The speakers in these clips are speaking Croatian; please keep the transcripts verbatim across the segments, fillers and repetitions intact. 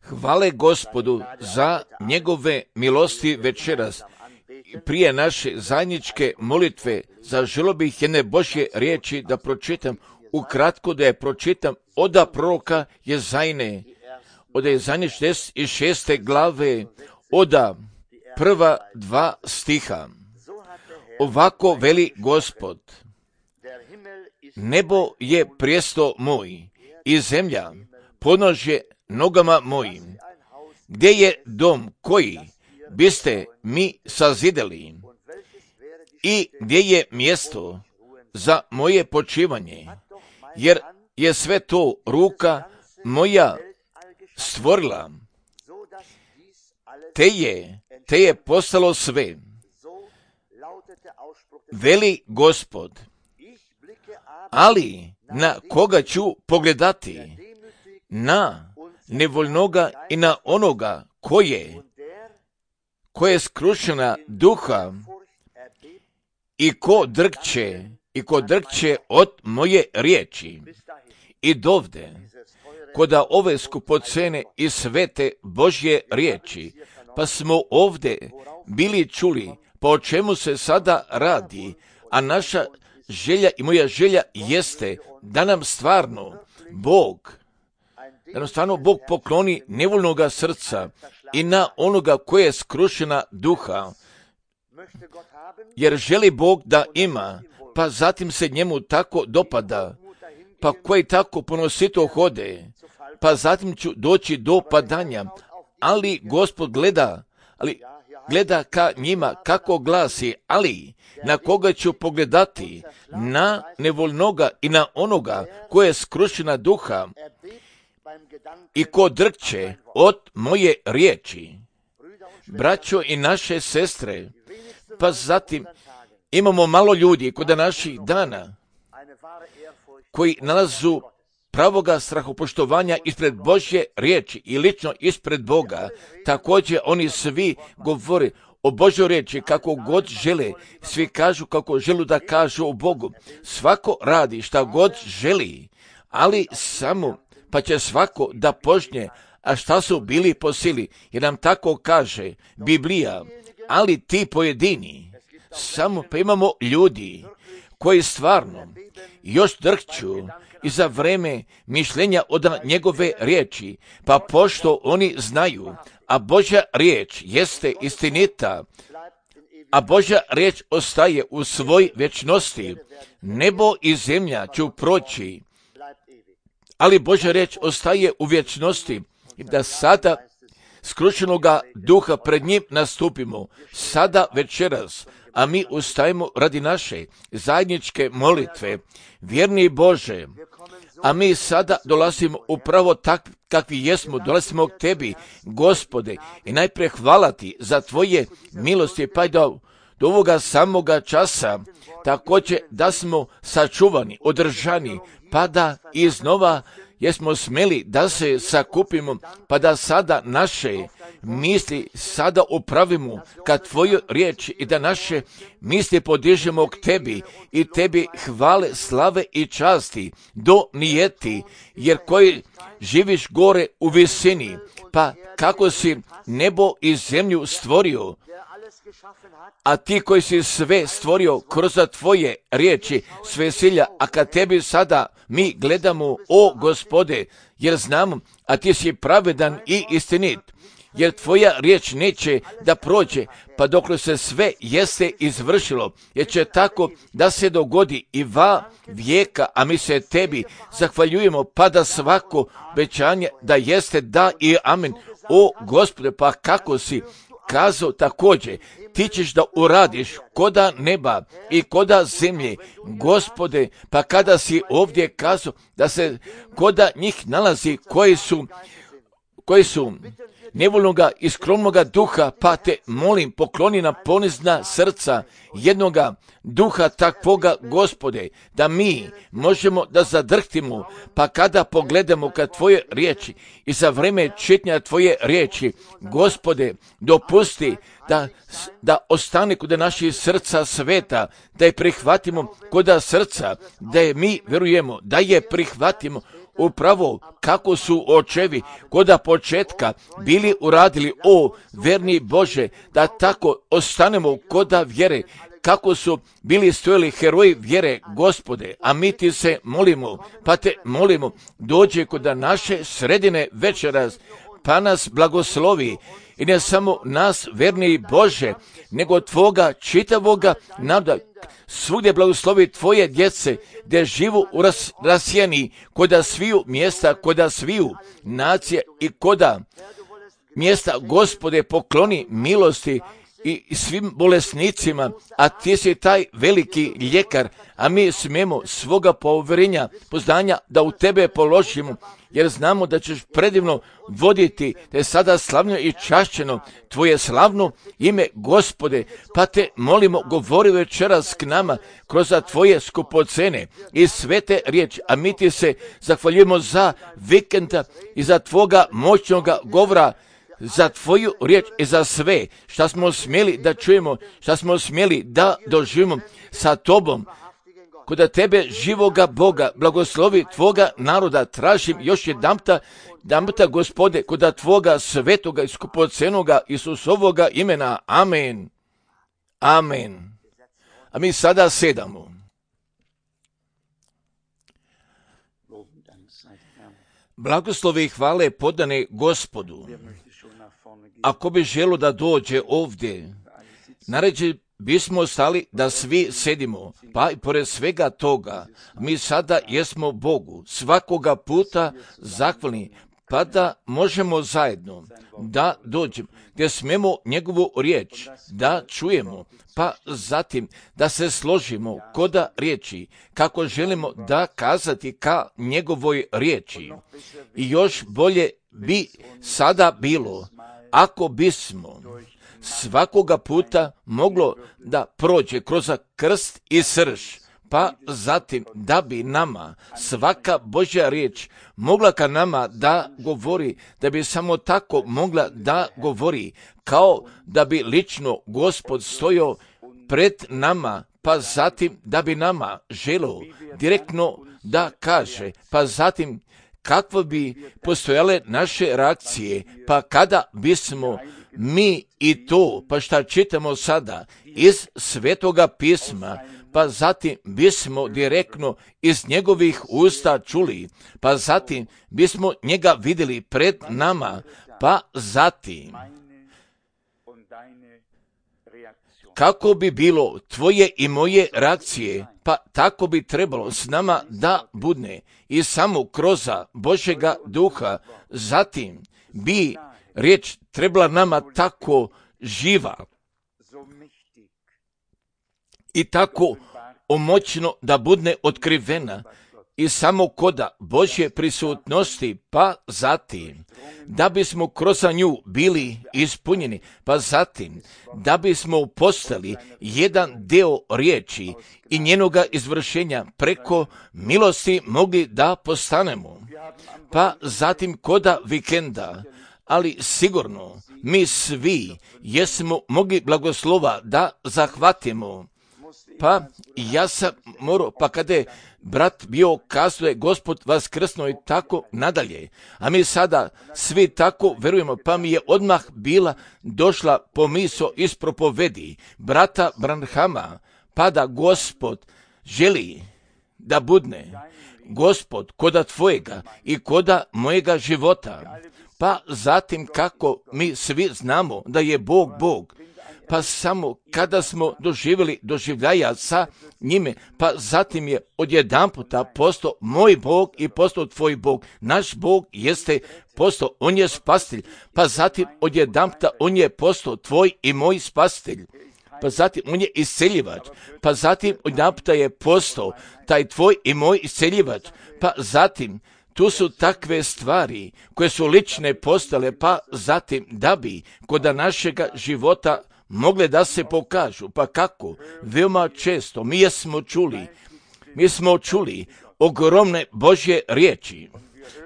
Hvale Gospodu za njegove milosti večeras. Prije naše zajedničke molitve zaželio bih jedne Božje riječi da pročitam, ukratko da je pročitam oda proroka Jezajne, od Jezajne šezdeset šeste glave, oda prva dva stiha. Ovako veli Gospod: nebo je prijesto moj i zemlja podnožje nogama mojim. Gdje je dom koji biste mi sazidali i gdje je mjesto za moje počivanje, jer je sve to ruka moja stvorila, te je, te je postalo sve. Veli Gospod, ali na koga ću pogledati? Na nevoljnoga i na onoga koje, koje je skrušena duha i ko drkće, i ko drkće od moje riječi. I dovde, koda ove skupocene i svete Božje riječi, pa smo ovde bili čuli, pa o čemu se sada radi, a naša želja i moja želja jeste da nam stvarno Bog, da nam stvarno Bog pokloni nevoljnoga srca i na onoga koje je skrušena duha, jer želi Bog da ima, pa zatim se njemu tako dopada, pa koji tako ponosito hode, pa zatim ću doći do padanja, ali Gospod gleda, ali gleda ka njima kako glasi, ali na koga ću pogledati? Na nevoljnoga i na onoga koje je skrušena duha i ko drkće od moje riječi. Braćo i naše sestre, pa zatim imamo malo ljudi kod naših dana koji nalazu pravoga strahopoštovanja ispred Božje riječi i lično ispred Boga. Također oni svi govore o Božoj riječi kako god žele, svi kažu kako želu da kažu o Bogu. Svako radi šta god želi, ali samo pa će svako da požnje, a šta su bili po sili, jer nam tako kaže Biblija, ali ti pojedini, samo pa imamo ljudi koji stvarno još drhću i za vreme mišljenja od njegove riječi, pa pošto oni znaju, a Božja riječ jeste istinita, a Božja riječ ostaje u svoj vječnosti, nebo i zemlja ću proći, ali Božja riječ ostaje u vječnosti, i da sada skrušenoga duha pred njim nastupimo, sada večeras, a mi ustajemo radi naše zajedničke molitve. Vjerni Bože, a mi sada dolazimo upravo tak kakvi jesmo, dolazimo k Tebi, Gospode, i najprije hvala Ti za Tvoje milosti, pa i do, do ovoga samoga časa, također da smo sačuvani, održani, pa da iznova jesmo smeli da se sakupimo, pa da sada naše misli sada upravimo ka Tvojoj riječi i da naše misli podižemo k Tebi i Tebi hvale, slave i časti do nijeti, jer koji živiš gore u visini, pa kako si nebo i zemlju stvorio, a Ti koji si sve stvorio kroz Tvoje riječi, sve silja, a kad Tebi sada mi gledamo, o Gospode, jer znamo, a Ti si pravedan i istinit, jer Tvoja riječ neće da prođe, pa dokle se sve jeste izvršilo, jer će tako da se dogodi i va vijeka, a mi se Tebi zahvaljujemo, pa da svako obećanje da jeste da i amen. O Gospode, pa kako si kazao također, Ti ćeš da uradiš koda neba i koda zemlje, Gospode, pa kada si ovdje kazao da se koda njih nalazi koji su, koji su nevoljnoga i skromnoga duha, pa te molim, pokloni nam ponizna srca jednoga duha takvoga, Gospode, da mi možemo da zadrhtimo, pa kada pogledamo ka Tvoje riječi i za vreme čitanja Tvoje riječi, Gospode, dopusti da, da ostane kod naših srca sveta, da je prihvatimo kod srca, da je mi vjerujemo, da je prihvatimo upravo kako su očevi koda početka bili uradili, o verni Bože, da tako ostanemo koda vjere, kako su bili stojali heroji vjere, Gospode, a mi ti se molimo, pa te molimo, dođe kod naše sredine večeras, pa nas blagoslovi, i ne samo nas, verni Bože, nego Tvoga čitavoga nada, svugdje blagoslovi Tvoje djece, gdje živu u ras, rasijeni, koda sviju mjesta, koda sviju nacije i koda mjesta, Gospode, pokloni milosti i svim bolesnicima, a ti si taj veliki ljekar, a mi smijemo svoga povjerenja, poznanja da u tebe položimo, jer znamo da ćeš predivno voditi, da je sada slavno i čašćeno tvoje slavno ime, Gospode, pa te molimo, govori večeras k nama kroz tvoje skupocene i svete riječi, a mi ti se zahvaljujemo za vikenda i za tvoga moćnoga govora, za tvoju riječ i za sve šta smo smjeli da čujemo, šta smo smjeli da doživimo sa tobom. Koda tebe, živoga Boga, blagoslovi tvoga naroda, tražim još jedanputa, jedanputa, Gospode, koda tvoga svetoga i skupocenoga Isusovoga imena. Amen. Amen. A mi sada sedamo. Blagoslovi i hvale podane Gospodu. Ako bi želo da dođe ovdje, naređe bismo stali da svi sedimo, pa i pored svega toga, mi sada jesmo Bogu svakoga puta zahvalni, pa da možemo zajedno da dođemo, gdje smemo njegovu riječ da čujemo, pa zatim da se složimo koda riječi, kako želimo da kazati ka njegovoj riječi. I još bolje bi sada bilo, ako bismo svakoga puta moglo da prođe kroz krst i srž, pa zatim da bi nama svaka Božja riječ mogla ka nama da govori, da bi samo tako mogla da govori, kao da bi lično Gospod stojao pred nama, pa zatim da bi nama želio direktno da kaže, pa zatim kakve bi postojale naše reakcije, pa kada bismo mi i to, pa šta čitamo sada iz Svetoga pisma, pa zatim bismo direktno iz njegovih usta čuli, pa zatim bismo njega vidjeli pred nama, pa zatim kako bi bilo tvoje i moje reakcije, pa tako bi trebalo s nama da budne i samo kroz Božjega duha, zatim bi riječ trebala nama tako živa i tako omoćno da budne otkrivena i samo koda Božje prisutnosti, pa zatim da bismo kroz nju bili ispunjeni, pa zatim da bismo postali jedan deo riječi i njenoga izvršenja preko milosti mogli da postanemo, pa zatim koda vikenda, ali sigurno mi svi jesmo mogli blagoslova da zahvatimo. Pa ja sam morao, pa kada je brat bio kazao je Gospod vaskrsno i tako nadalje, a mi sada svi tako verujemo, pa mi je odmah bila došla pomisao iz propovedi brata Branhama, pa da Gospod želi da budne Gospod koda tvojega i koda mojega života, pa zatim kako mi svi znamo da je Bog Bog, pa samo kada smo doživjeli doživljaja sa njime, pa zatim je odjedanputa postao moj Bog i postao tvoj Bog. Naš Bog jeste postao, on je spasitelj, pa zatim odjedanputa on je postao tvoj i moj spasitelj. Pa zatim on je isceljivač, pa zatim odjedanputa je postao taj tvoj i moj isceljivač, pa zatim tu su takve stvari koje su lične postale, pa zatim da bi kod našega života mogle da se pokažu. Pa kako? Veoma često mi jesmo čuli, mi smo čuli ogromne Božje riječi,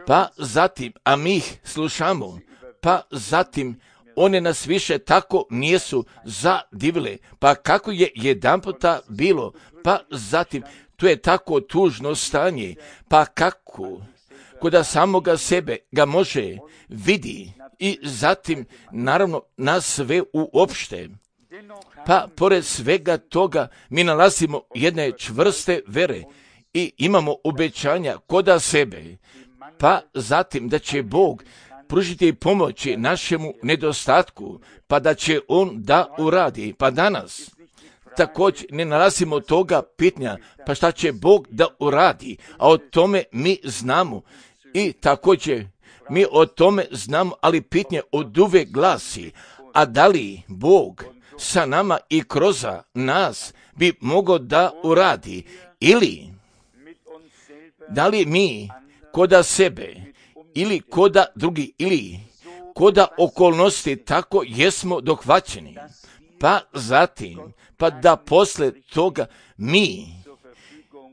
pa zatim, a mi ih slušamo, pa zatim one nas više tako nisu zadivile, pa kako je jedanputa bilo, pa zatim tu je tako tužno stanje, pa kako koda samoga sebe ga može vidi i zatim naravno nas sve uopšte. Pa pored svega toga mi nalazimo jedne čvrste vere i imamo obećanja koda sebe, pa zatim da će Bog pružiti pomoći našemu nedostatku, pa da će On da uradi. Pa danas također ne nalazimo toga pitanja, pa šta će Bog da uradi, a o tome mi znamo i također mi o tome znamo, ali pitanje od uvek glasi, a da li Bog sa nama i kroz nas bi mogao da uradi, ili da li mi koda sebe ili koda drugi ili koda okolnosti tako jesmo dohvaćeni, pa zatim pa da posle toga mi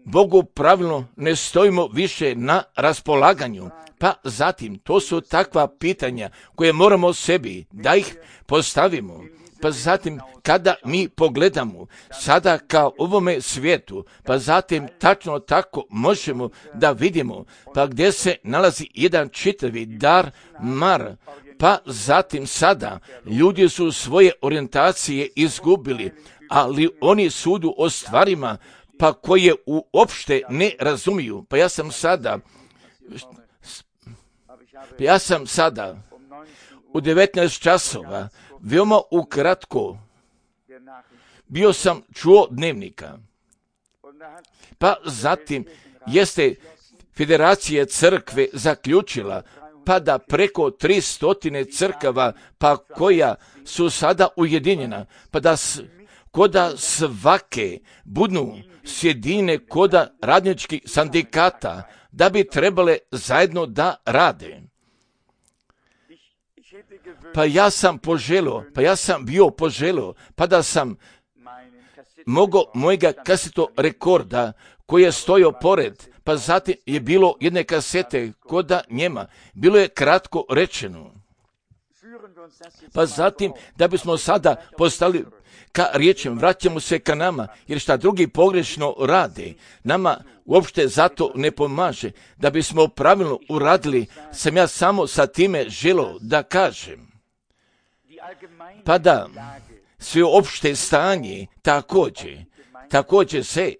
Bogu pravilno ne stojimo više na raspolaganju. Pa zatim to su takva pitanja koje moramo sebi da ih postavimo. Pa zatim kada mi pogledamo sada kao ovome svijetu, pa zatim tačno tako možemo da vidimo pa gdje se nalazi jedan čitavi dar mar, pa zatim sada ljudi su svoje orijentacije izgubili, ali oni sudu o stvarima pa koje uopšte ne razumiju. Pa ja sam sada pa ja sam sada u devetnaest časova veoma ukratko bio sam čuo dnevnika. Pa zatim jeste Federacija crkve zaključila pa da preko tristotine crkava pa koja su sada ujedinjena, pa da s, koda svake budnu sjedine koda radničkih sindikata da bi trebale zajedno da rade. Pa ja sam poželio, pa ja sam bio poželio, pa da sam mogao mojega kaseto rekorda koji je stojao pored, pa zatim je bilo jedne kasete koda njema, bilo je kratko rečeno. Pa zatim da bismo sada postali ka riječem, vraćamo se ka nama, jer šta drugi pogrešno rade, nama uopšte zato ne pomaže. Da bismo pravilno uradili, sam ja samo sa time želio da kažem. Pa da sve opšte stanje također, također se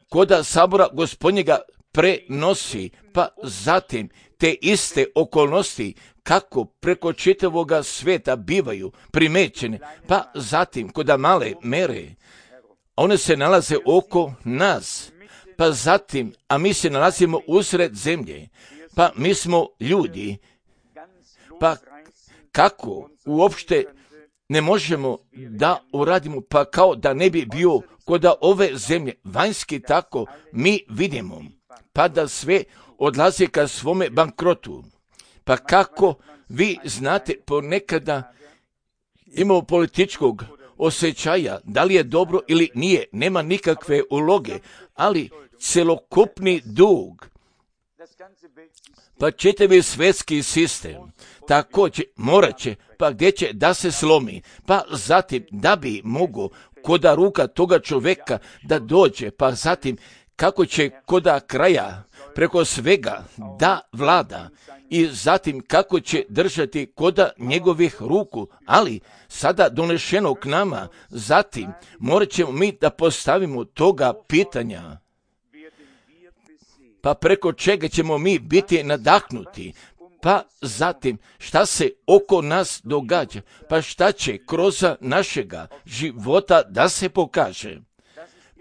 koda sabora Gospodnjega prenosi, pa zatim te iste okolnosti kako preko čitavoga svijeta bivaju primećene, pa zatim koda male mere, one se nalaze oko nas, pa zatim, a mi se nalazimo usred zemlje, pa mi smo ljudi, pa kako uopšte ne možemo da uradimo, pa kao da ne bi bio koda ove zemlje, vanjski tako mi vidimo, pa da sve odlazi ka svome bankrotu. Pa kako vi znate, ponekada imamo političkog osjećaja, da li je dobro ili nije, nema nikakve uloge, ali celokupni dug, pa čitavi svjetski sistem, također morat će, pa gdje će da se slomi, pa zatim da bi mogo koda ruka toga čovjeka da dođe, pa zatim kako će koda kraja preko svega da vlada i zatim kako će držati koda njegovih ruku, ali sada donešeno k nama, zatim morat ćemo mi da postavimo toga pitanja. Pa preko čega ćemo mi biti nadahnuti, pa zatim šta se oko nas događa, pa šta će kroz našega života da se pokaže.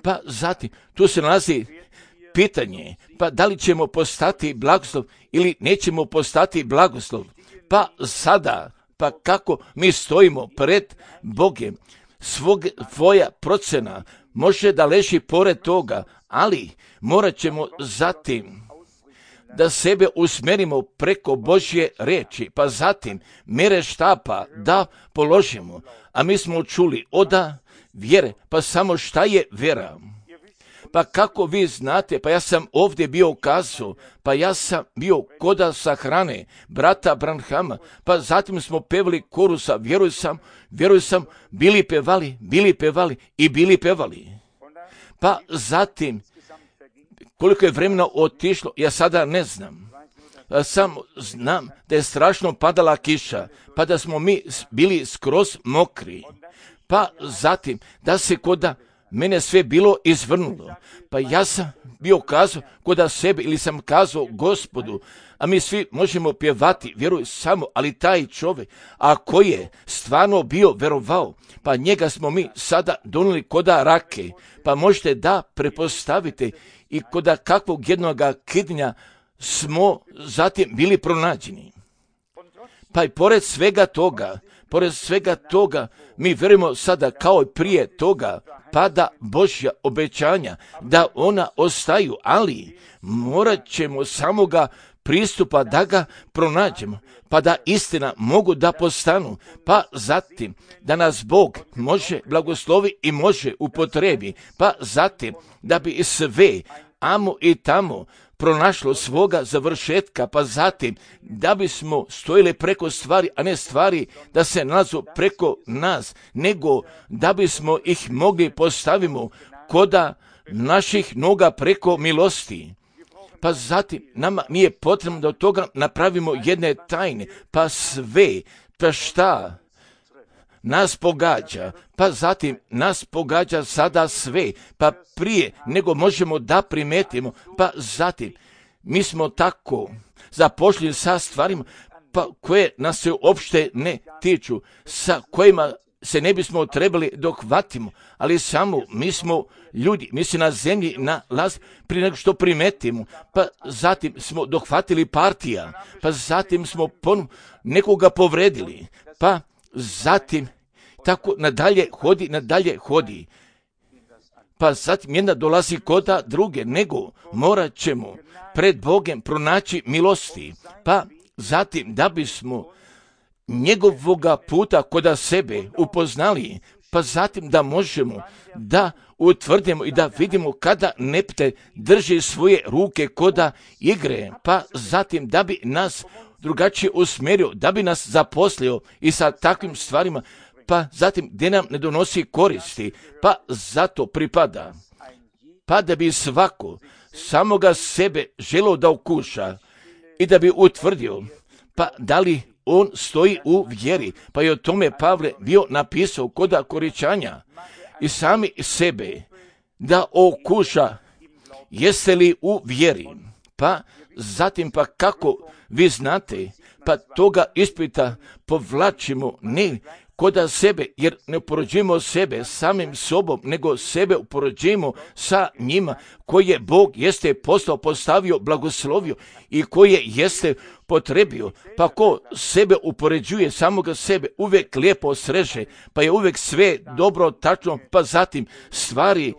Pa zatim tu se nalazi pitanje, pa da li ćemo postati blagoslov ili nećemo postati blagoslov. Pa sada, pa kako mi stojimo pred Bogem, svog, svoja procena može da leži pored toga, ali morat ćemo zatim da sebe usmerimo preko Božje reči, pa zatim mere štapa da položimo, a mi smo čuli oda vjere, pa samo šta je vjera? Pa kako vi znate, pa ja sam ovdje bio kazao, pa ja sam bio koda sahrane brata Branhama, pa zatim smo pevali korusa, vjeruj sam, vjeruj sam, bili pevali, bili pevali i bili pevali. Pa zatim, koliko je vremena otišlo, ja sada ne znam. Samo znam da je strašno padala kiša, pa da smo mi bili skroz mokri. Pa zatim da se koda mene sve bilo izvrnulo. Pa ja sam bio kazao koda sebe ili sam kazao Gospodu, a mi svi možemo pjevati, vjeruj samo, ali taj čovjek, a koji je stvarno bio verovao, pa njega smo mi sada donijeli koda rake, pa možete da prepostavite i koda kakvog jednoga kidnja smo zatim bili pronađeni. Pa i pored svega toga, pored svega toga, mi vjerujemo sada kao i prije toga, pada Božja obećanja, da ona ostaju, ali morat ćemo samoga pristupa da ga pronađemo, pa da istina mogu da postanu, pa zatim da nas Bog može blagoslovi i može upotrebi, pa zatim da bi sve amo i tamo pronašlo svoga završetka, pa zatim da bismo stojili preko stvari, a ne stvari da se nalazu preko nas, nego da bismo ih mogli postavimo koda naših noga preko milosti. Pa zatim nama nije potrebno da od toga napravimo jedne tajne, pa sve, pa šta nas pogađa, pa zatim nas pogađa sada sve, pa prije nego možemo da primetimo, pa zatim mi smo tako zapošljeni sa stvarima pa koje nas se uopšte ne tiču, sa kojima se ne bismo trebali dohvatimo, ali samo mi smo ljudi, mi se na zemlji nalazi prije nego što primetimo, pa zatim smo dohvatili partija, pa zatim smo ponovno nekoga povredili, pa zatim tako nadalje hodi, nadalje hodi. Pa zatim jedna dolazi koda druge, nego morat ćemo pred Bogem pronaći milosti, pa zatim da bismo njegovoga puta koda sebe upoznali, pa zatim da možemo da utvrdimo i da vidimo kada nepte drži svoje ruke koda igre, pa zatim da bi nas drugačije usmjerio, da bi nas zaposlio i sa takvim stvarima, pa zatim gdje nam ne donosi koristi, pa zato pripada. Pa da bi svako samoga sebe želio da okuša i da bi utvrdio, pa da li on stoji u vjeri, pa je o tome Pavle bio napisao koda Koričanja i sami sebe da okuša jeste li u vjeri, pa zatim pa kako vi znate, pa toga ispita povlačimo ne koda sebe, jer ne upoređujemo sebe samim sobom, nego sebe upoređujemo sa njima koje Bog jeste postao, postavio, blagoslovio i koje jeste potrebio. Pa ko sebe upoređuje, samoga sebe uvijek lijepo sreže, pa je uvijek sve dobro, tačno, pa zatim stvari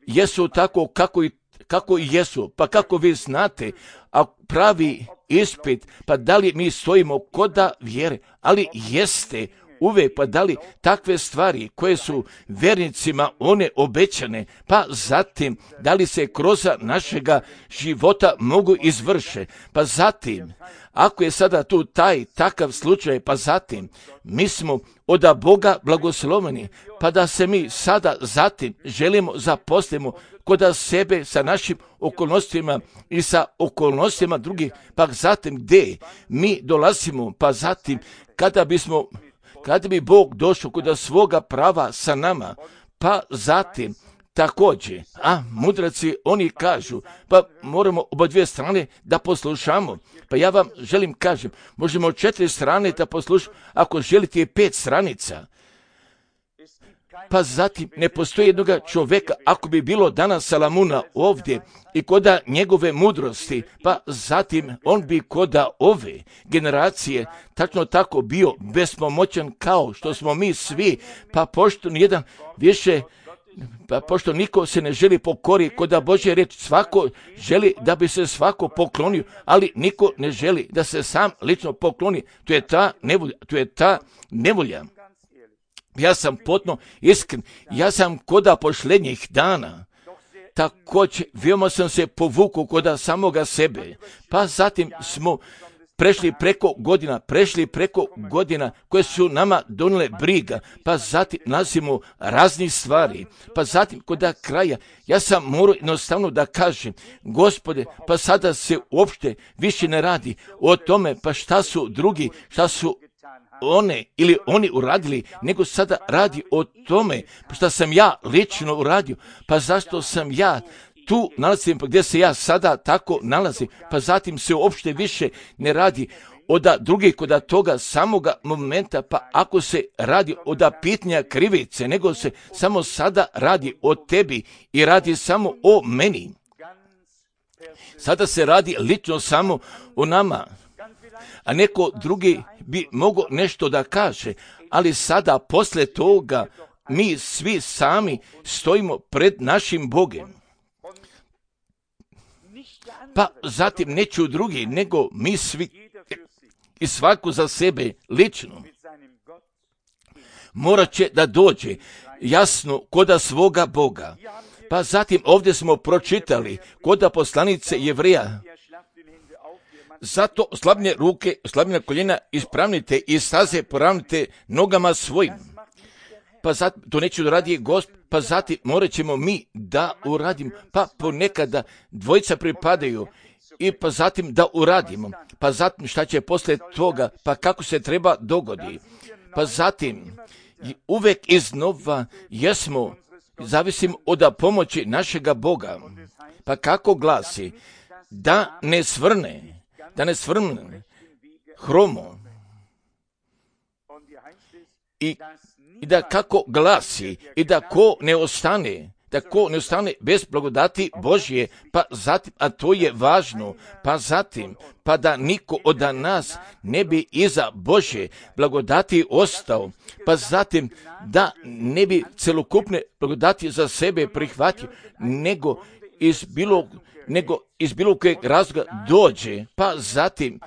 jesu tako kako i kako i jesu, pa kako vi znate, a pravi ispit, pa da li mi stojimo koda vjere, ali jeste uvijek, pa da li takve stvari koje su vjernicima one obećane, pa zatim da li se kroz našega života mogu izvrše, pa zatim ako je sada tu taj takav slučaj, pa zatim mi smo od Boga blagosloveni, pa da se mi sada zatim želimo zaposlimo koda sebe sa našim okolnostima i sa okolnostima drugih, pa zatim gdje mi dolazimo, pa zatim kada bismo kada bi Bog došao kod svoga prava sa nama, pa zatim također, a mudraci oni kažu, pa moramo oba dvije strane da poslušamo. Pa ja vam želim kažem, možemo četiri strane da poslušamo, ako želite i pet stranica. Pa zatim ne postoji jednoga čovjeka, ako bi bilo danas Salamuna ovdje i koda njegove mudrosti, pa zatim on bi koda ove generacije tačno tako bio bespomoćan kao što smo mi svi, pa pošto nijedan više, pa pošto niko se ne želi pokori koda Božje reći, svako želi da bi se svako poklonio, ali niko ne želi da se sam lično pokloni. To je ta nevolja, to je ta nevolja. Ja sam potpuno iskren, ja sam koda posljednjih dana, također veoma sam se povukao koda samoga sebe, pa zatim smo prešli preko godina, prešli preko godina koje su nama donijele briga, pa zatim nalazimo raznih stvari, pa zatim kod kraja ja sam morao jednostavno da kažem, Gospode, pa sada se uopšte više ne radi o tome, pa šta su drugi, šta su one ili oni uradili, nego sada radi o tome šta sam ja lično uradio, pa zašto sam ja tu nalazim, pa gdje se ja sada tako nalazim, pa zatim se uopšte više ne radi od drugih kod toga samoga momenta, pa ako se radi od pitanja krivice, nego se samo sada radi o tebi i radi samo o meni. Sada se radi lično samo o nama, a neko drugi bi mogao nešto da kaže, ali sada posle toga mi svi sami stojimo pred našim Bogom. Pa zatim neću drugi, nego mi svi i svako za sebe lično morat će da dođe jasno koda svoga Boga. Pa zatim ovdje smo pročitali koda poslanice Jevreja, zato slabne ruke, slabne koljena ispravnite i staze poravnite nogama svojim. Pa zatim, to neće da radi Gospod, pa zatim morat ćemo mi da uradimo, pa ponekada dvojica pripadaju i pa zatim da uradimo, pa zatim šta će posle toga, pa kako se treba dogodi, pa zatim uvek iznova jesmo, zavisim od pomoći našega Boga, pa kako glasi, da ne svrne, da ne svrne hromo i, i da kako glasi i da ko ne ostane, da ko ne ostane bez blagodati Božje, pa zatim, a to je važno, pa zatim, pa da niko od nas ne bi iza Božje blagodati ostao, pa zatim da ne bi celokupne blagodati za sebe prihvatio, nego iz bilo, nego iz bilo kojeg razloga dođe, pa zatim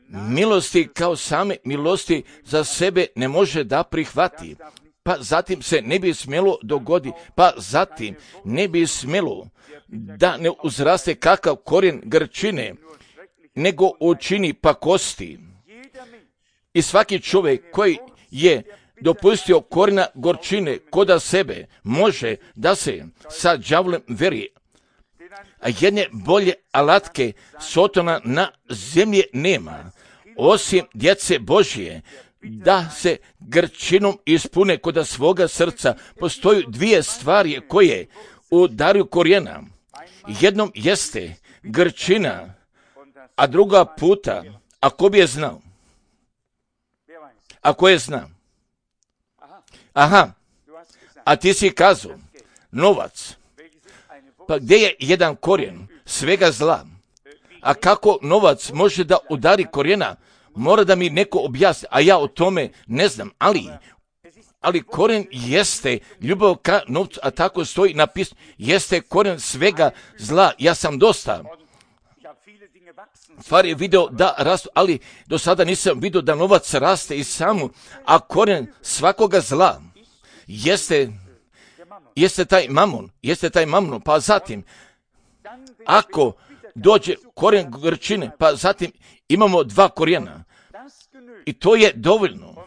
milosti kao same milosti za sebe ne može da prihvati. Pa zatim se ne bi smjelo dogodi, pa zatim ne bi smjelo da ne uzraste kakav korijen grčine, nego učini pakosti. I svaki čovjek koji je dopustio korijena gorčine koda sebe, može da se sa đavolem veri. A jedne bolje alatke Sotona na zemlji nema, osim djece Božje, da se grčinom ispune koda svoga srca. Postoju dvije stvari koje udaraju korijena. Jednom jeste grčina, a druga puta, ako bi je znao, ako je zna. Aha, a ti si kazao, novac. Pa gdje je jedan korijen svega zla? A kako novac može da udari korijena? Mora da mi neko objasni, a ja o tome ne znam, ali, ali korijen jeste ljubav ka novcu, a tako stoji napisano, jeste korijen svega zla. Ja sam dosta stvari je video da rastu, ali do sada nisam vidio da novac raste i samo, a korijen svakoga zla jeste, jeste taj mamon, jeste taj mamon, pa zatim, ako dođe korijen grčine, pa zatim imamo dva korijena. I to je dovoljno.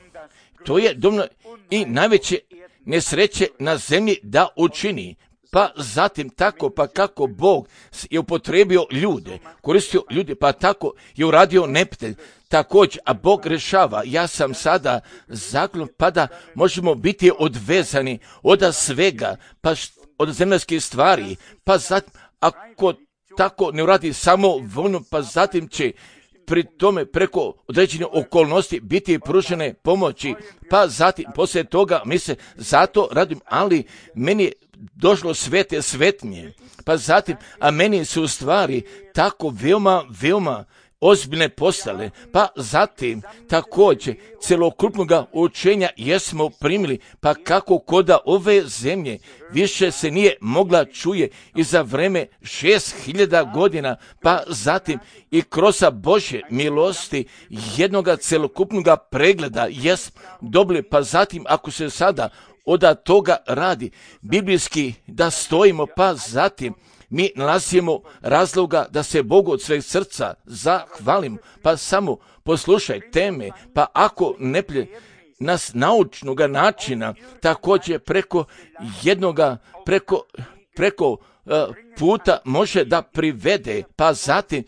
To je dovoljno i najveće nesreće na zemlji da učini. Pa zatim tako, pa kako Bog je upotrebio ljude, koristio ljude, pa tako je uradio neprijatelj. Također, a Bog rešava. Ja sam sada zaklon, pa da možemo biti odvezani od svega, pa od zemaljskih stvari, pa zatim, ako tako ne uradi samo voljno, pa zatim će pri tome preko određene okolnosti biti pružene pomoći, pa zatim poslije toga mi se zato radim, ali meni je došlo svete svetnje, pa zatim, a meni su u stvari tako veoma, veoma ozbiljne postale, pa zatim također celokupnoga učenja jesmo primili, pa kako koda ove zemlje više se nije mogla čuje i za vreme šest hiljada godina, pa zatim i kroz Božje milosti jednoga celokupnoga pregleda jesmo dobili, pa zatim ako se sada od toga radi biblijski da stojimo, pa zatim mi nalazimo razloga da se Bogu od sveg srca zahvalim, pa samo poslušaj teme, pa ako ne plje nas naučnoga načina, također preko jednoga, preko, preko uh, puta može da privede, pa zatim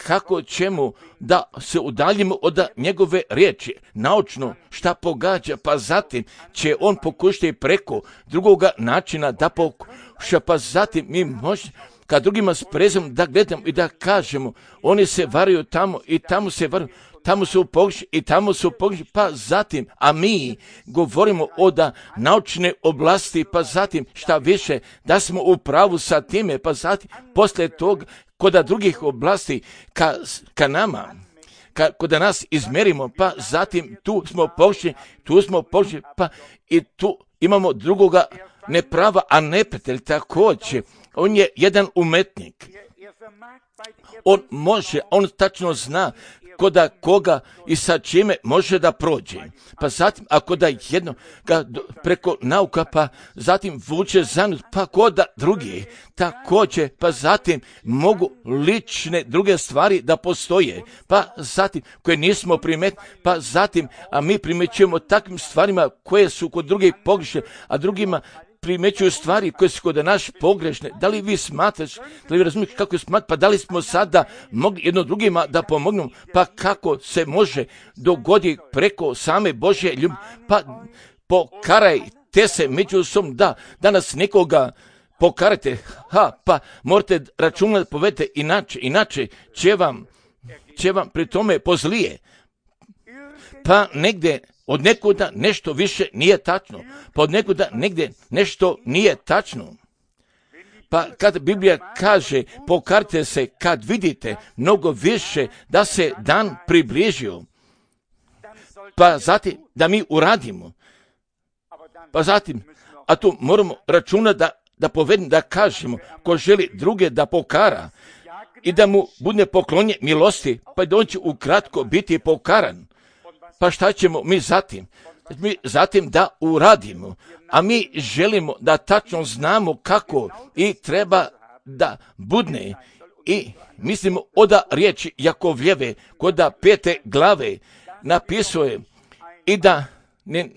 kako ćemo da se udaljimo od njegove riječi, naučno šta pogađa, pa zatim će on pokušati preko drugoga načina da pokuša, pa zatim mi možemo kad drugima s prezom da gledamo i da kažemo, oni se varaju tamo i tamo se varaju, tamo su pogrešni i tamo su pogrešni, pa zatim, a mi govorimo o da naučne oblasti, pa zatim šta više, da smo u pravu sa time, pa zatim, poslije tog, kod drugih oblasti, ka, ka nama, ka, kod nas izmerimo, pa zatim tu smo pogrešni, tu smo pogrešni, pa i tu imamo drugoga neprava, a neprijatelj također. On je jedan umetnik. On može, on tačno zna koda koga i sa čime može da prođe. Pa zatim, ako da jedno ga preko nauka, pa zatim vuče zanut, pa koda drugi, također, pa zatim mogu lične druge stvari da postoje, pa zatim, koje nismo primetili, pa zatim, a mi primećujemo takvim stvarima koje su kod drugih pogrešne, a drugima primećuju stvari koje su kod naš pogrešne. Da li vi smatraš, da li vi razumijete kako je smatrati, pa da li smo sada mogli jedno drugima da pomognemo, pa kako se može dogoditi preko same Božje ljubavi, pa pokarajte se međusobno, da danas nekoga pokarajte, ha, pa morate računati, povedete inače, inače će vam, će vam pri tome pozlije, pa negdje od nekuda nešto više nije tačno, pa od nekuda negdje nešto nije tačno. Pa kad Biblija kaže pokarite se kad vidite mnogo više da se dan približio, pa zatim da mi uradimo, pa zatim, a tu moramo računati da, da povedemo, da kažemo, ko želi druge da pokara i da mu bude poklonje milosti, pa da on će ukratko biti pokaran. Pa šta ćemo mi zatim? Mi zatim da uradimo, a mi želimo da tačno znamo kako i treba da budne. I mislimo oda riječi Jakovljeve, koda pete glave napisuje i da ne,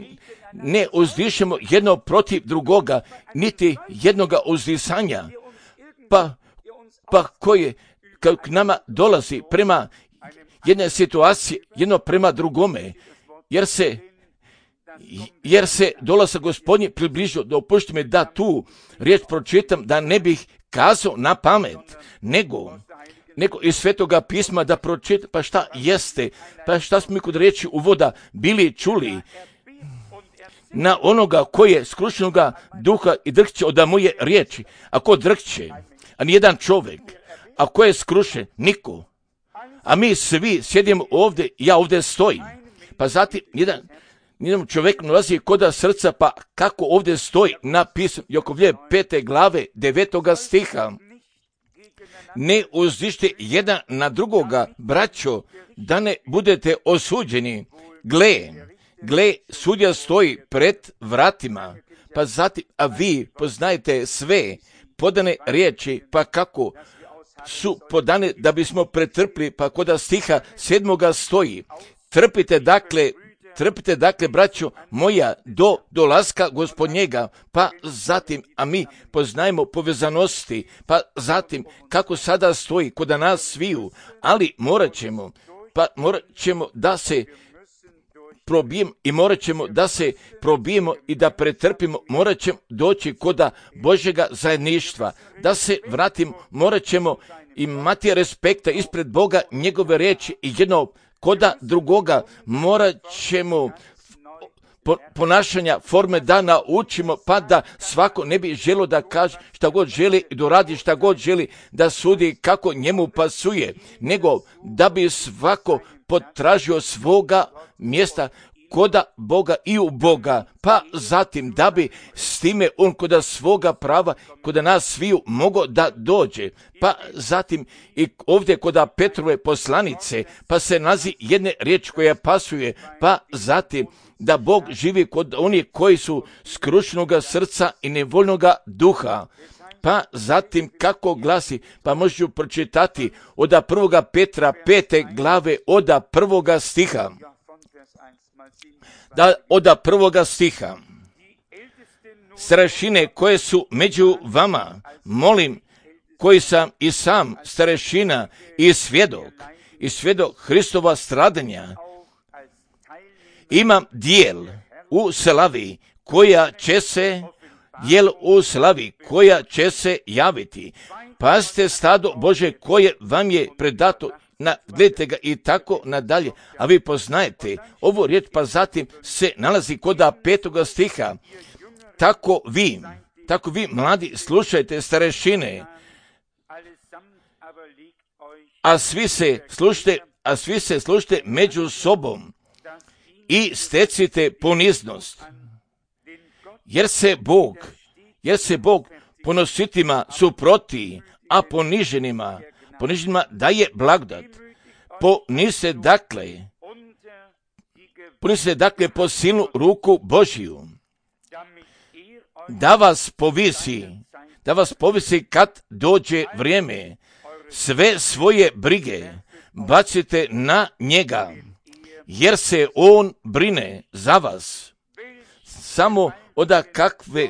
ne uzdišemo jedno protiv drugoga, niti jednoga uzdisanja, pa, pa koje k nama dolazi prema jedne situacije, jedno prema drugome, jer se, jer se dolazak Gospodnji približio, da opušti me da tu riječ pročitam, da ne bih kazao na pamet, nego, nego iz Svetoga pisma da pročitam, pa šta jeste, pa šta smo mi kod riječi uvoda bili čuli, na onoga koji je skrušenoga duha i drhće od moje riječi, a ko drhće, a nijedan čovjek, a ko je skrušen, niko. A mi svi sjedimo ovdje, ja ovdje stojim. Pa zatim, jedan, jedan čovjek nalazi koda srca, pa kako ovdje stoji napisano, Jakovlje pete glave, devetoga stiha. Ne uzdište jedan na drugoga, braćo, da ne budete osuđeni. Gle, gle, sudja stoji pred vratima. Pa zatim, a vi poznajete sve podane riječi, pa kako su podane da bismo pretrpli, pa koda stiha sedmoga stoji. Trpite dakle, trpite dakle, braćo moja, do dolaska Gospodnjega, pa zatim, a mi poznajemo povezanosti, pa zatim, kako sada stoji koda nas sviju, ali morat ćemo, pa morat ćemo da se probijemo i morat ćemo da se probijemo i da pretrpimo, morat ćemo doći koda Božjega zajedništva, da se vratimo, morat ćemo imati respekta ispred Boga, njegove riječi i jedno koda drugoga, morat ćemo ponašanja, forme da naučimo, pa da svako ne bi želo da kaže šta god želi i doradi šta god želi, da sudi kako njemu pasuje, nego da bi svako potražio svoga mjesta koda Boga i u Boga, pa zatim da bi s time on koda svoga prava, koda nas sviju mogao da dođe, pa zatim i ovdje koda Petrove poslanice, pa se nalazi jedne riječi koja pasuje, pa zatim da Bog živi kod onih koji su skrušenoga srca i nevoljnoga duha, Pa zatim kako glasi, pa možu pročitati od prvoga Petra pete glave od prvoga stiha. Da, od prvoga stiha. Starešine koje su među vama, molim, koji sam i sam starešina i svjedok, i svjedok Hristova stradanja, imam dijel u slavi koja će se, dijel u slavi koja će se javiti. Pazite stado Bože koje vam je predato, na, gledajte ga i tako nadalje, a vi poznajete ovu riječ, pa zatim se nalazi kod petoga stiha. Tako vi, tako vi mladi slušajte starešine, a svi se slušajte, a svi se slušajte među sobom i stecite poniznost. Jer se Bog, jer se Bog ponositima suproti, a poniženima, poniženima daje blagodat. Ponise dakle, ponise dakle po silnu ruku Božiju, da vas povisi, da vas povisi kad dođe vrijeme. Sve svoje brige bacite na njega, jer se on brine za vas. Samo od kakve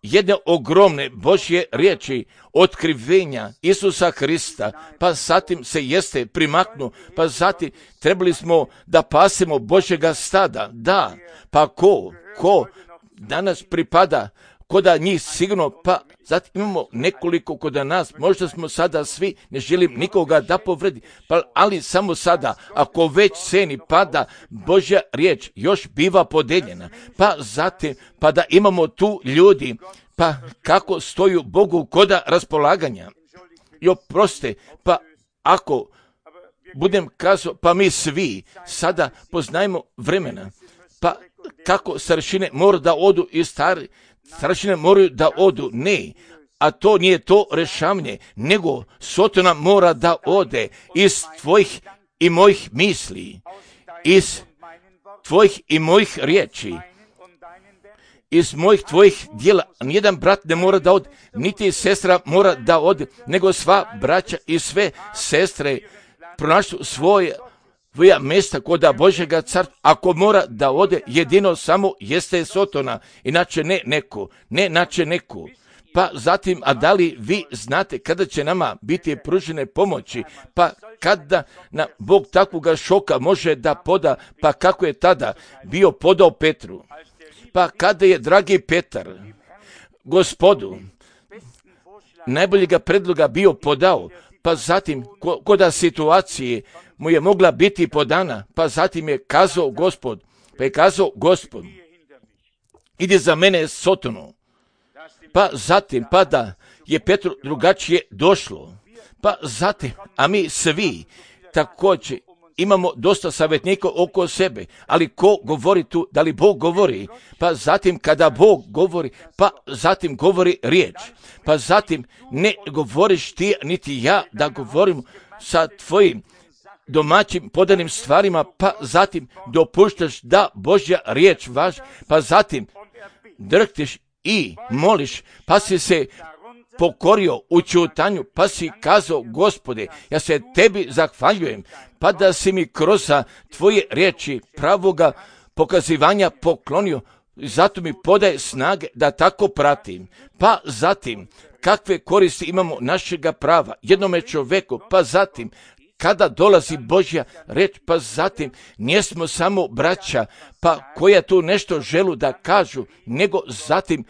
jedne ogromne Božje riječi otkrivenja Isusa Hrista, pa zatim se jeste primaknu, pa zatim trebali smo da pasemo Božjega stada. Da, pa ko, ko danas pripada koda njih sigurno, pa zatim imamo nekoliko koda nas, možda smo sada svi, ne želim nikoga da povredi, pa, ali samo sada, ako već ceni pada Božja riječ, još biva podeljena, pa zatim, pa da imamo tu ljudi, pa kako stoju Bogu koda raspolaganja. I oproste, pa ako budem kazao, pa mi svi sada poznajemo vremena, pa kako staršine mora da odu i stari, staršine moraju da odu, ne, a to nije to rešavanje, nego Sotona mora da ode iz tvojih i mojih misli, iz tvojih i mojih riječi, iz mojih tvojih dijela. Nijedan brat ne mora da ode, niti sestra mora da ode, nego sva braća i sve sestre pronašli svoje svoja mjesta kod Božjega carstva. Ako mora da ode, jedino samo jeste Sotona, inače ne neko, ne inače neko. Pa zatim, a da li vi znate kada će nama biti pružene pomoći, pa kada na Bog takvoga šoka može da poda, pa kako je tada bio podao Petru, pa kada je dragi Petar Gospodu najboljega predloga bio podao, pa zatim kod situacije mu je mogla biti podana, pa zatim je kazao Gospod, pa je kazao Gospod, ide za mene Sotonu, pa zatim, pa da je Petru drugačije došlo, pa zatim, a mi svi također imamo dosta savjetnika oko sebe, ali ko govori tu, da li Bog govori, pa zatim kada Bog govori, pa zatim govori riječ, pa zatim ne govoriš ti niti ja da govorim sa tvojim domaćim podanim stvarima, pa zatim dopuštaš da Božja riječ važi, pa zatim drhtiš i moliš, pa si se pokorio u ćutanju, pa si kazao Gospode, ja se tebi zahvaljujem, pa da si mi kroz tvoje riječi pravoga pokazivanja poklonio, zato mi podaje snage da tako pratim. Pa zatim, kakve koristi imamo našega prava jednome čovjeku, pa zatim, kada dolazi Božja reč, pa zatim nismo samo braća, pa koja tu nešto želu da kažu, nego zatim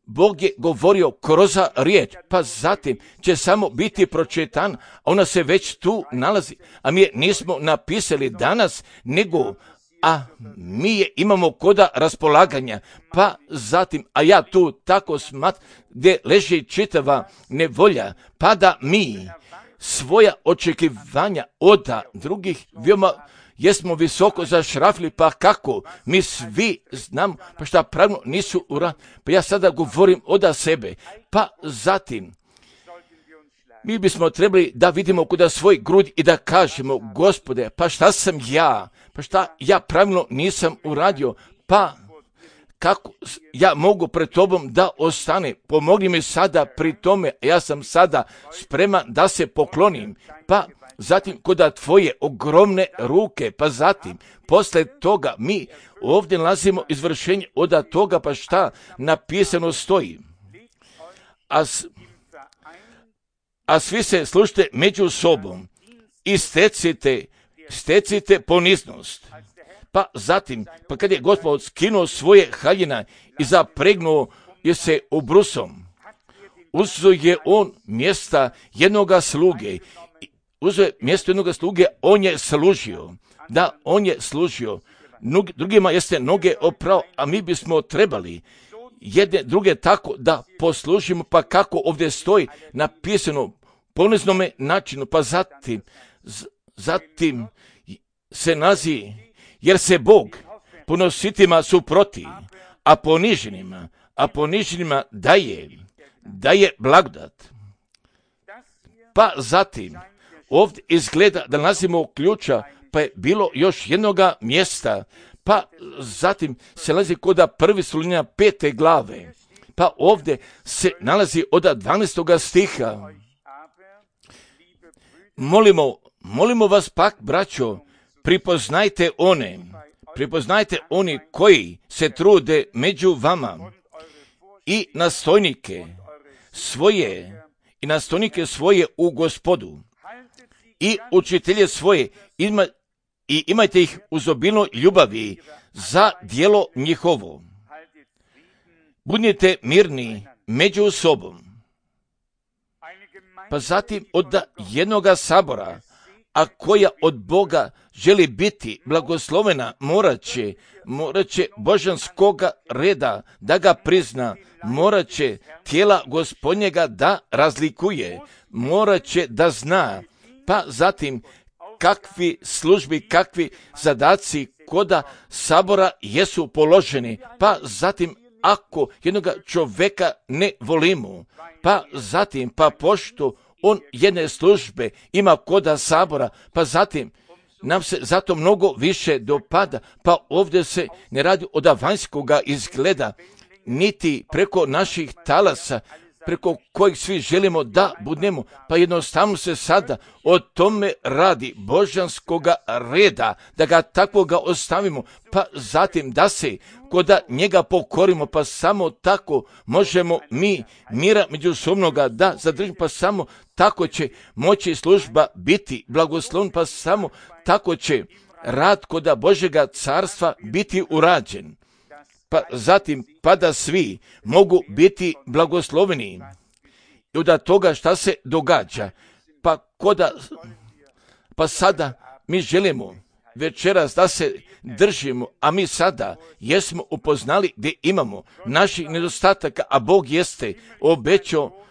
Bog je govorio kroz riječ, pa zatim će samo biti pročitan, ona se već tu nalazi, a mi je nismo napisali danas, nego a mi je imamo koda raspolaganja, pa zatim, a ja tu tako smatram, gdje leži čitava nevolja, pa da mi svoja očekivanja od drugih veoma jesmo visoko zašrafili, pa kako mi svi znamo, pa šta pravno nisu uradili, pa ja sada govorim od sebe, pa zatim mi bismo trebali da vidimo kuda svoj grud i da kažemo, Gospode, pa šta sam ja, pa šta ja pravilno nisam uradio, pa kako ja mogu pred tobom da ostane, pomogni mi sada pri tome, ja sam sada spreman da se poklonim, pa zatim koda tvoje ogromne ruke, pa zatim posle toga mi ovdje nalazimo izvršenje od toga, pa šta napisano stoji. A, a svi se slušajte među sobom i stecite, stecite poniznost. Pa zatim, pa kad je Gospod skinuo svoje haljina i zapregnuo je se ubrusom, uzeo je on mjesta jednoga sluge, uzeo je mjesto jednoga sluge, on je služio, da, on je služio, drugima jeste noge oprao, a mi bismo trebali jedne druge tako da poslužimo, pa kako ovdje stoji napisano poniznome načinu, pa zatim, zatim se nazi, jer se Bog ponositima suproti, a poniženima, a poniženima daje, daje blagodat. Pa zatim, ovdje izgleda da nalazimo ključa, pa je bilo još jednoga mjesta, pa zatim se nalazi koda prvi Solunjana pete glave, pa ovdje se nalazi od dvanaestoga stiha. Molimo, molimo vas pak, braćo, pripoznajte one, pripoznajte oni koji se trude među vama i nastojnike svoje, i nastojnike svoje u Gospodu i učitelje svoje ima, i imajte ih uz obilnoj ljubavi za djelo njihovo. Budite mirni među sobom. Pa zatim od jednoga sabora, a koja od Boga želi biti blagoslovena, morat će, morat će božanskoga reda da ga prizna, morat će tijela Gospodnjega da razlikuje, morat će da zna, pa zatim kakvi službi, kakvi zadaci koda sabora jesu položeni, pa zatim ako jednoga čovjeka ne volimo, pa zatim pa pošto on jedne službe ima koda sabora, pa zatim nam se zato mnogo više dopada, pa ovdje se ne radi od vanjskoga izgleda, niti preko naših talasa, preko kojih svi želimo da budemo, pa jednostavno se sada o tome radi božanskoga reda, da ga takvoga ostavimo, pa zatim da se koda njega pokorimo, pa samo tako možemo mi mira međusobnoga da zadržimo, pa samo tako će moći služba biti blagoslovna, pa samo tako će rad koda Božjega carstva biti urađen. Pa zatim, pa da svi mogu biti blagosloveni i od toga šta se događa. Pa koda, pa sada mi želimo večeras da se držimo, a mi sada jesmo upoznali gdje imamo naših nedostataka, a Bog jeste obećao,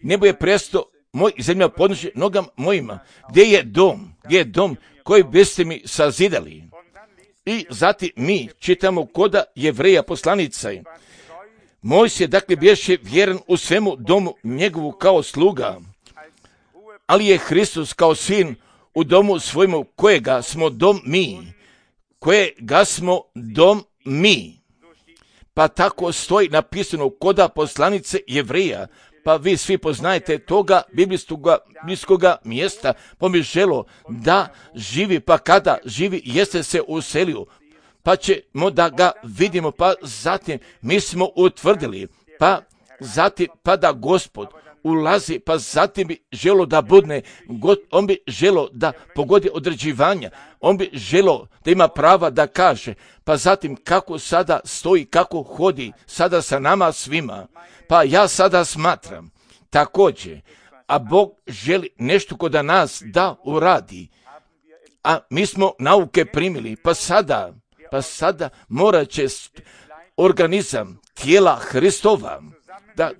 nebo je presto moj zemlja podnosi nogama mojima, gdje je dom, gdje je dom koji biste mi sazidali. I zatim mi čitamo koda Jevreja poslanica. Mojsije dakle bješe vjeran u svemu domu njegovu kao sluga, ali je Hristos kao sin u domu svojemu kojega smo dom mi, kojega smo dom mi. Pa tako stoji napisano koda poslanice Jevreja, pa vi svi poznajete toga biblijskoga mjesta, pa mi želo da živi, pa kada živi jeste se uselio, pa ćemo da ga vidimo, pa zatim mi smo utvrdili, pa zatim pa da Gospod ulazi, pa zatim bi želo da budne, on bi želo da pogodi određivanja, on bi želo da ima prava da kaže, pa zatim kako sada stoji, kako hodi sada sa nama svima, pa ja sada smatram također, a Bog želi nešto kod nas da uradi, a mi smo nauke primili, pa sada, pa sada morat će organizam tijela Hristova da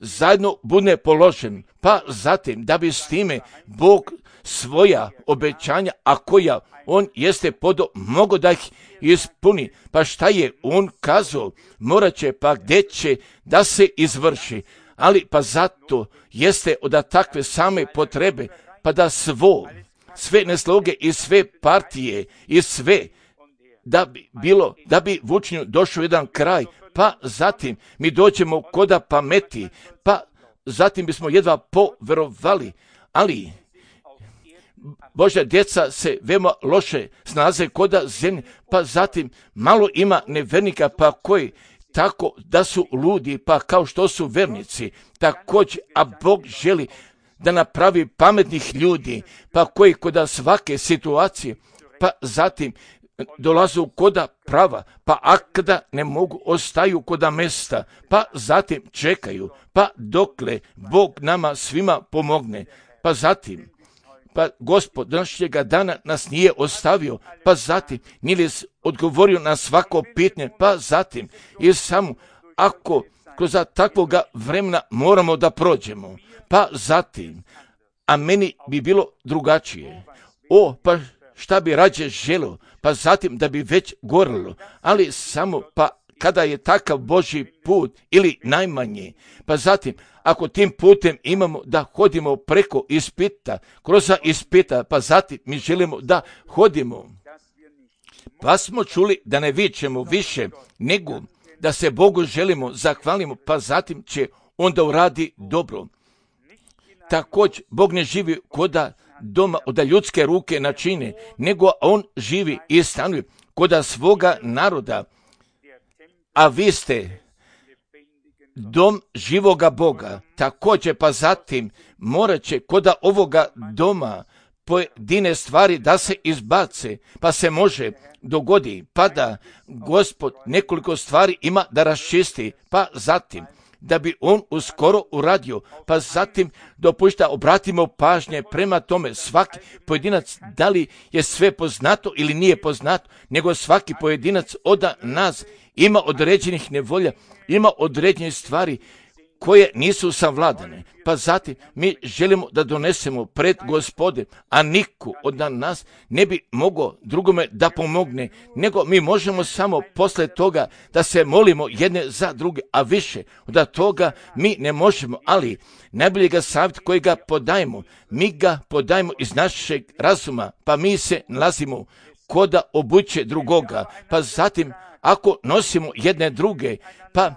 zajedno bude položen, pa zatim da bi s time Bog svoja obećanja, a koja on jeste podo, mogo da ih ispuni, pa šta je on kazao, morat će pa gdje će da se izvrši, ali pa zato jeste od takve same potrebe, pa da svo, sve nesloge i sve partije i sve da bi bilo, da bi vučnju došao jedan kraj, pa zatim mi dođemo koda pameti, pa zatim bismo jedva poverovali, ali Božja djeca se veoma loše snaze koda zemlje, pa zatim malo ima nevernika, pa koji tako da su ludi, pa kao što su vernici, također, a Bog želi da napravi pametnih ljudi, pa koji koda svake situacije, pa zatim dolazu koda prava, pa akada ne mogu, ostaju koda mesta, pa zatim čekaju, pa dokle Bog nama svima pomogne, pa zatim, pa Gospod današnjega dana nas nije ostavio, pa zatim nije odgovorio na svako pitanje, pa zatim i samo ako kroz takvoga vremena moramo da prođemo, pa zatim, a meni bi bilo drugačije. O, pa šta bi rađe želio, pa zatim da bi već gorilo, ali samo pa kada je takav Božji put ili najmanje, pa zatim ako tim putem imamo da hodimo preko ispita, kroz ispita, pa zatim mi želimo da hodimo. Pa smo čuli da ne vičemo više, nego da se Bogu želimo, zahvalimo, pa zatim će onda uradi dobro. Također, Bog ne živi koda doma od ljudske ruke načine, nego on živi i stanuje koda svoga naroda, a vi ste dom živoga Boga. Također, pa zatim morat će koda ovoga doma pojedine stvari da se izbace, pa se može dogodi, pa da Gospod nekoliko stvari ima da raščisti, pa zatim da bi on uskoro uradio, pa zatim dopušta obratimo pažnje prema tome svaki pojedinac, da li je sve poznato ili nije poznato, nego svaki pojedinac od nas ima određenih nevolja, ima određenih stvari koje nisu savladane. Pa zatim mi želimo da donesemo pred Gospode, a niko od nas ne bi mogao drugome da pomogne, nego mi možemo samo posle toga da se molimo jedne za druge, a više od toga mi ne možemo, ali najboljega savjet koji ga podajemo, mi ga podajemo iz našeg razuma, pa mi se nalazimo koda obuće drugoga, pa zatim ako nosimo jedne druge, pa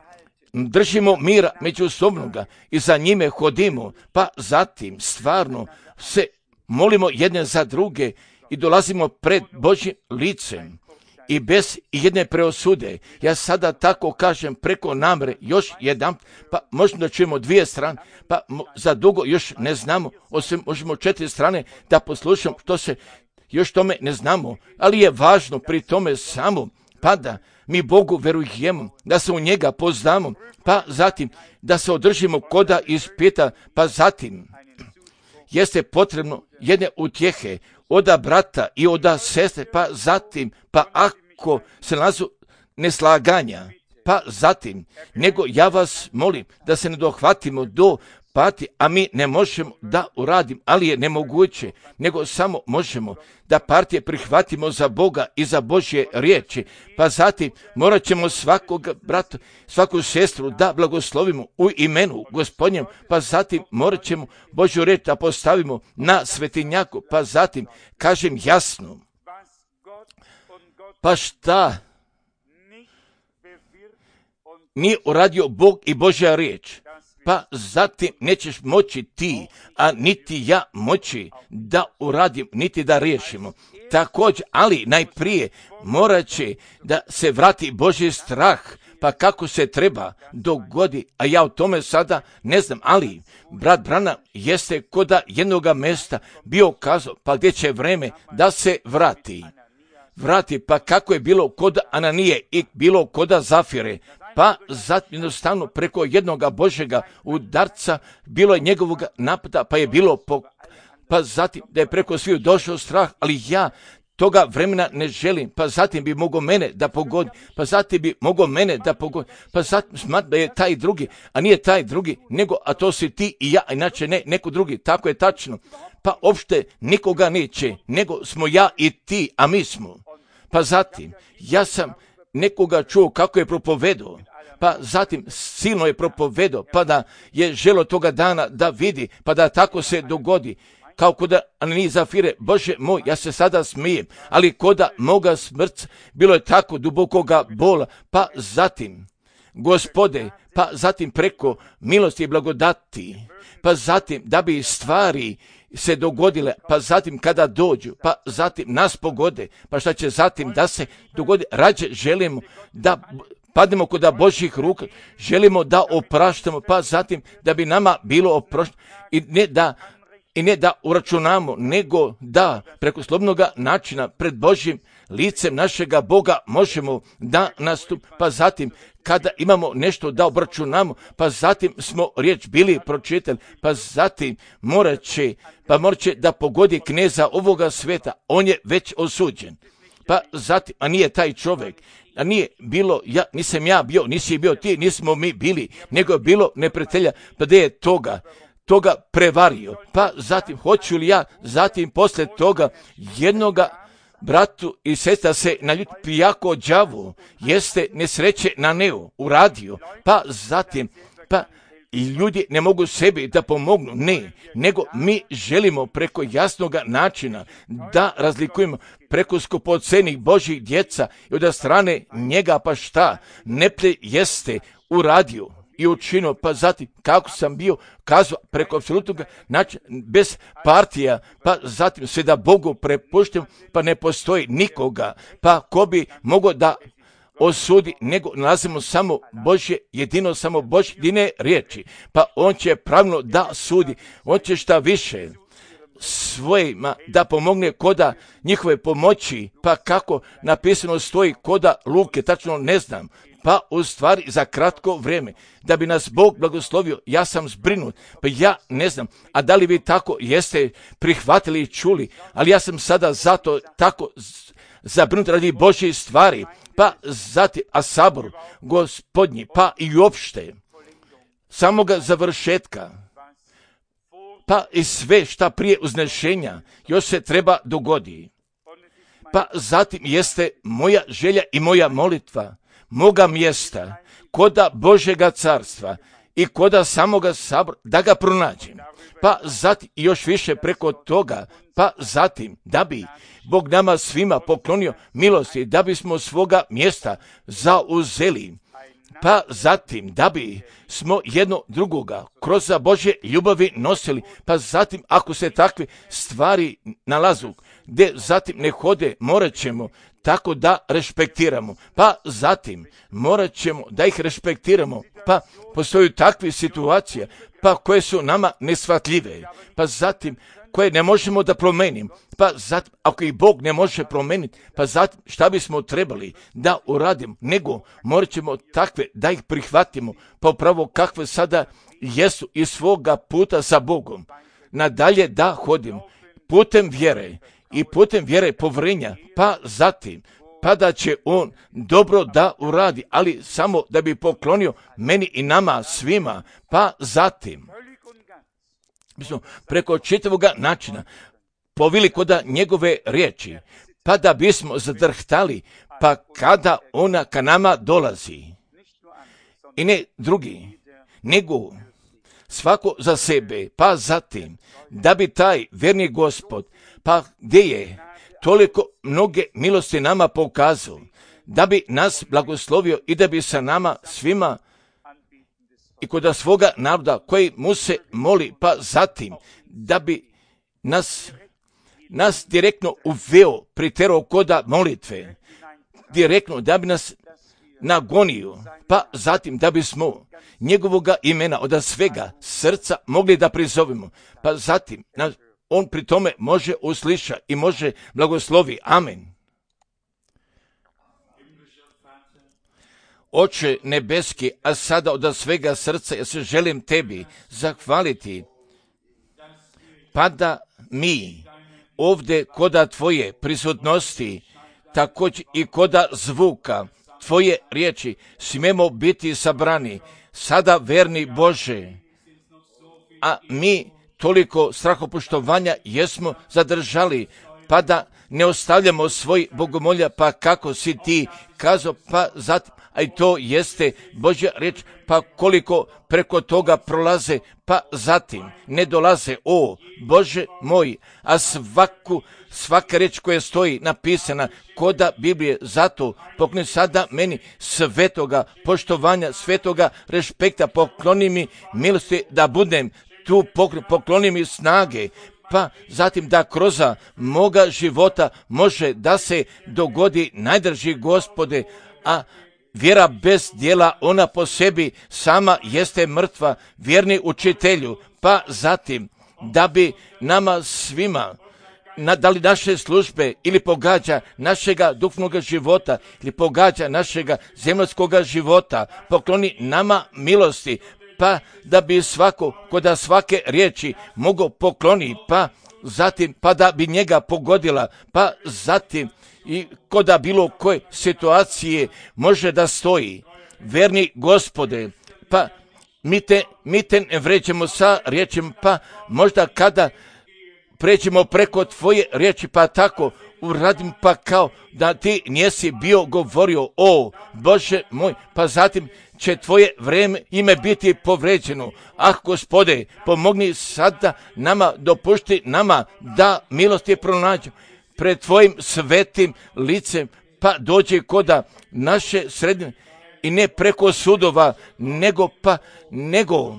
držimo mira međusobnoga i za njime hodimo, pa zatim stvarno se molimo jedne za druge i dolazimo pred Božjim licem i bez jedne preosude. Ja sada tako kažem preko namre još jedan, pa možemo da čujemo dvije strane, pa za dugo još ne znamo, osim možemo četiri strane da poslušamo što se još tome ne znamo, ali je važno pri tome samo pa da mi Bogu verujemo, da se u njega poznamo, pa zatim da se održimo koda ispita, pa zatim jeste potrebno jedne utjehe oda brata i oda sestre, pa zatim, pa ako se nalazu neslaganja, pa zatim, nego ja vas molim da se ne dohvatimo do pati, a mi ne možemo da uradimo, ali je nemoguće, nego samo možemo da partije prihvatimo za Boga i za Božje riječi, pa zatim morat ćemo svakog brata, svaku sestru da blagoslovimo u imenu Gospodnjem, pa zatim morat ćemo Božju riječ da postavimo na svetinjaku, pa zatim kažem jasno, pa šta nije uradio Bog i Božja riječ, pa zatim nećeš moći ti, a niti ja moći da uradim, niti da riješimo. Također, ali najprije morat će da se vrati Božji strah, pa kako se treba dogodi, a ja o tome sada ne znam, ali brat Branham jeste koda jednoga mjesta bio kazao, pa gdje će vreme da se vrati. Vrati, pa kako je bilo kod Ananije i bilo koda Zafire, pa zatim jednostavno preko jednoga Božjega udarca bilo je njegovog napada, pa je bilo, po, pa zatim da je preko sviju došao strah, ali ja toga vremena ne želim, pa zatim bi mogao mene da pogodi, pa zatim bi mogao mene da pogodi, pa zatim smatram da je taj drugi, a nije taj drugi, nego, a to si ti i ja, inače ne, neko drugi, tako je tačno, pa opšte nikoga neće, nego smo ja i ti, a mi smo. Pa zatim, ja sam nekoga čuo kako je propovedao, pa zatim silno je propovedao, pa da je želo toga dana da vidi, pa da tako se dogodi. kao koda Ananije Zafire, Bože moj, ja se sada smijem, ali koda moga smrca bilo je tako dubokoga bola, pa zatim, Gospode, pa zatim preko milosti i blagodati, pa zatim da bi stvari se dogodile, pa zatim kada dođu, pa zatim nas pogode, pa šta će zatim da se dogodi, rađe želimo da padnemo kod Božjih ruka, želimo da opraštamo, pa zatim da bi nama bilo oprošteno i ne da i ne da uračunamo, nego da preko slobodnog načina pred Božjim licem našega Boga možemo da nastup, pa zatim kada imamo nešto da obračunamo, pa zatim smo riječ bili pročitali, pa zatim morat će, pa morat će da pogodi kneza ovoga sveta, on je već osuđen. Pa zatim, a nije taj čovjek, a nije bilo, ja, nisam ja bio, nisi bio ti, nismo mi bili, nego je bilo neprijatelja, pa da je toga, toga prevario. Pa zatim, hoću li ja, zatim posle toga jednoga bratu i sestra se naljuti pijako đavu, jeste nesreće na neu, uradio, pa zatim, pa i ljudi ne mogu sebi da pomognu, ne, nego mi želimo preko jasnog načina da razlikujemo preko skupocenih Božjih djeca i od strane njega, pa šta neplje jeste uradio i učinio, pa zatim kako sam bio kazao preko apsolutnog načina, bez partija, pa zatim sve da Bogu prepuštam, pa ne postoji nikoga, pa ko bi mogao da osudi, nego nalazimo samo Božje, jedino samo Božje jedine riječi, pa on će pravilno da sudi, on će šta više svojima da pomogne koda njihove pomoći, pa kako napisano stoji koda Luke, tačno ne znam, pa u stvari za kratko vrijeme, da bi nas Bog blagoslovio, ja sam zbrinut, pa ja ne znam, a da li vi tako jeste prihvatili i čuli, ali ja sam sada zato tako zabrinut radi Božje stvari, pa zatim, a sabor Gospodnji, pa i uopšte samoga završetka, pa i sve šta prije uznešenja još se treba dogodi. Pa zatim jeste moja želja i moja molitva, moga mjesta, koda Božjega carstva i koda samoga sabora, da ga pronađem. Pa zatim još više preko toga, pa zatim da bi Bog nama svima poklonio milosti, da bismo svoga mjesta zauzeli. Pa zatim da bi smo jedno drugoga kroz Božje ljubavi nosili, pa zatim ako se takve stvari nalazu, gdje zatim ne hode, morat ćemo tako da respektiramo, pa zatim morat ćemo da ih respektiramo, pa postoju takve situacije, pa koje su nama neshvatljive, pa zatim koje ne možemo da promenimo, pa zatim ako ih Bog ne može promeniti, pa zatim šta bismo trebali da uradimo, nego morat ćemo takve da ih prihvatimo, pa upravo kakve sada jesu iz svoga puta sa Bogom, nadalje da hodimo putem vjere i putem vjere povjerenja, pa zatim pa da će on dobro da uradi, ali samo da bi poklonio meni i nama svima, pa zatim mi smo preko čitavog načina povili koda njegove riječi, pa da bismo zadrhtali, pa kada ona ka nama dolazi. I ne drugi, nego svako za sebe, pa zatim da bi taj vjerni Gospod, pa gdje je toliko mnoge milosti nama pokazao, da bi nas blagoslovio i da bi sa nama svima i kod svoga naroda koji mu se moli, pa zatim da bi nas, nas direktno uveo, priterao koda molitve, direktno da bi nas nagonio, pa zatim da bismo njegovoga imena od svega srca mogli da prizovemo, pa zatim on pri tome može usliša i može blagoslovi. Amen. Oče nebeski, a sada od svega srca ja se želim tebi zahvaliti, pa da mi ovdje koda tvoje prisutnosti, također i koda zvuka tvoje riječi, smijemo biti sabrani, sada verni Bože, a mi toliko strahopoštovanja jesmo zadržali, pa da ne ostavljamo svoj bogomolja, pa kako si ti kazao, pa zatim, a i to jeste Božja riječ, pa koliko preko toga prolaze, pa zatim ne dolaze, o Bože moj, a svaku, svaka riječ koja stoji napisana koda Biblije, zato pokloni sada meni svetoga poštovanja, svetoga respekta, pokloni mi milosti da budem tu, pokloni mi snage, pa zatim da kroz moga života može da se dogodi najdrži Gospode, a vjera bez djela, ona po sebi sama jeste mrtva, vjerni učitelju, pa zatim da bi nama svima, na, da li naše službe ili pogađa našega duhovnog života ili pogađa našega zemljskoga života, pokloni nama milosti, pa da bi svako koda svake riječi mogao pokloni, pa zatim pa da bi njega pogodila, pa zatim i koda bilo koje situacije može da stoji. Verni Gospode, pa mi te, mi te ne vređemo sa riječima, pa možda kada pređemo preko tvoje riječi, pa tako uradim, pa kao da ti nisi bio govorio, o Bože moj, pa zatim će tvoje vreme ime biti povređeno. Ah, Gospode, pomogni sada nama, dopušti nama da milosti pronađu pred tvojim svetim licem, pa dođe koda naše sredine i ne preko sudova, nego pa, nego,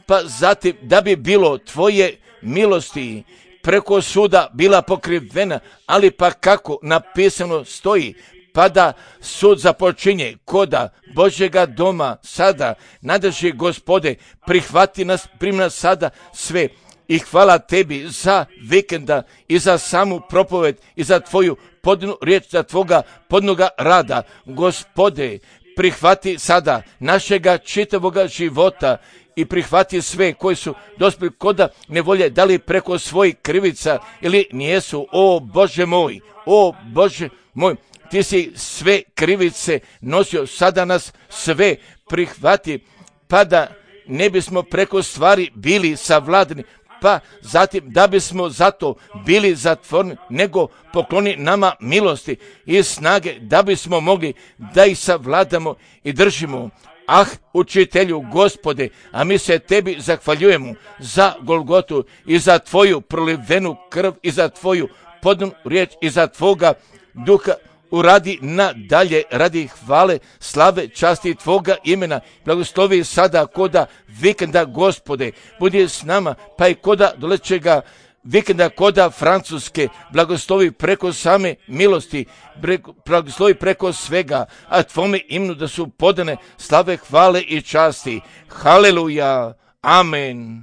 pa zatim da bi bilo tvoje milosti preko suda bila pokrivena, ali pa kako napisano stoji, pa da sud započinje koda Božjega doma sada, nadrži Gospode, prihvati nas, primi nas sada sve. I hvala tebi za vikenda i za samu propoved i za tvoju podnu riječ, za tvoga podnoga rada. Gospode, prihvati sada našega čitavoga života i prihvati sve koji su dospjeli koda nevolje, da li preko svojih krivica ili nijesu. O Bože moj, o Bože moj, ti si sve krivice nosio, sada nas sve prihvati, pa da ne bismo preko stvari bili savladani, pa zatim da bismo zato bili zatvoreni, nego pokloni nama milosti i snage da bismo mogli da ih savladamo i držimo. Ah, učitelju Gospode, a mi se tebi zahvaljujemo za Golgotu i za tvoju prolivenu krv i za tvoju podnu riječ i za tvoga duha. Uradi nadalje radi hvale, slave, časti tvoga imena. Blagoslovi sada koda vikenda, Gospode, budi s nama, pa i koda dolećega vikenda, koda Francuske, blagoslovi preko same milosti, blagoslovi preko svega, a tvome imenu da su podane slave, hvale i časti. Haleluja, amen.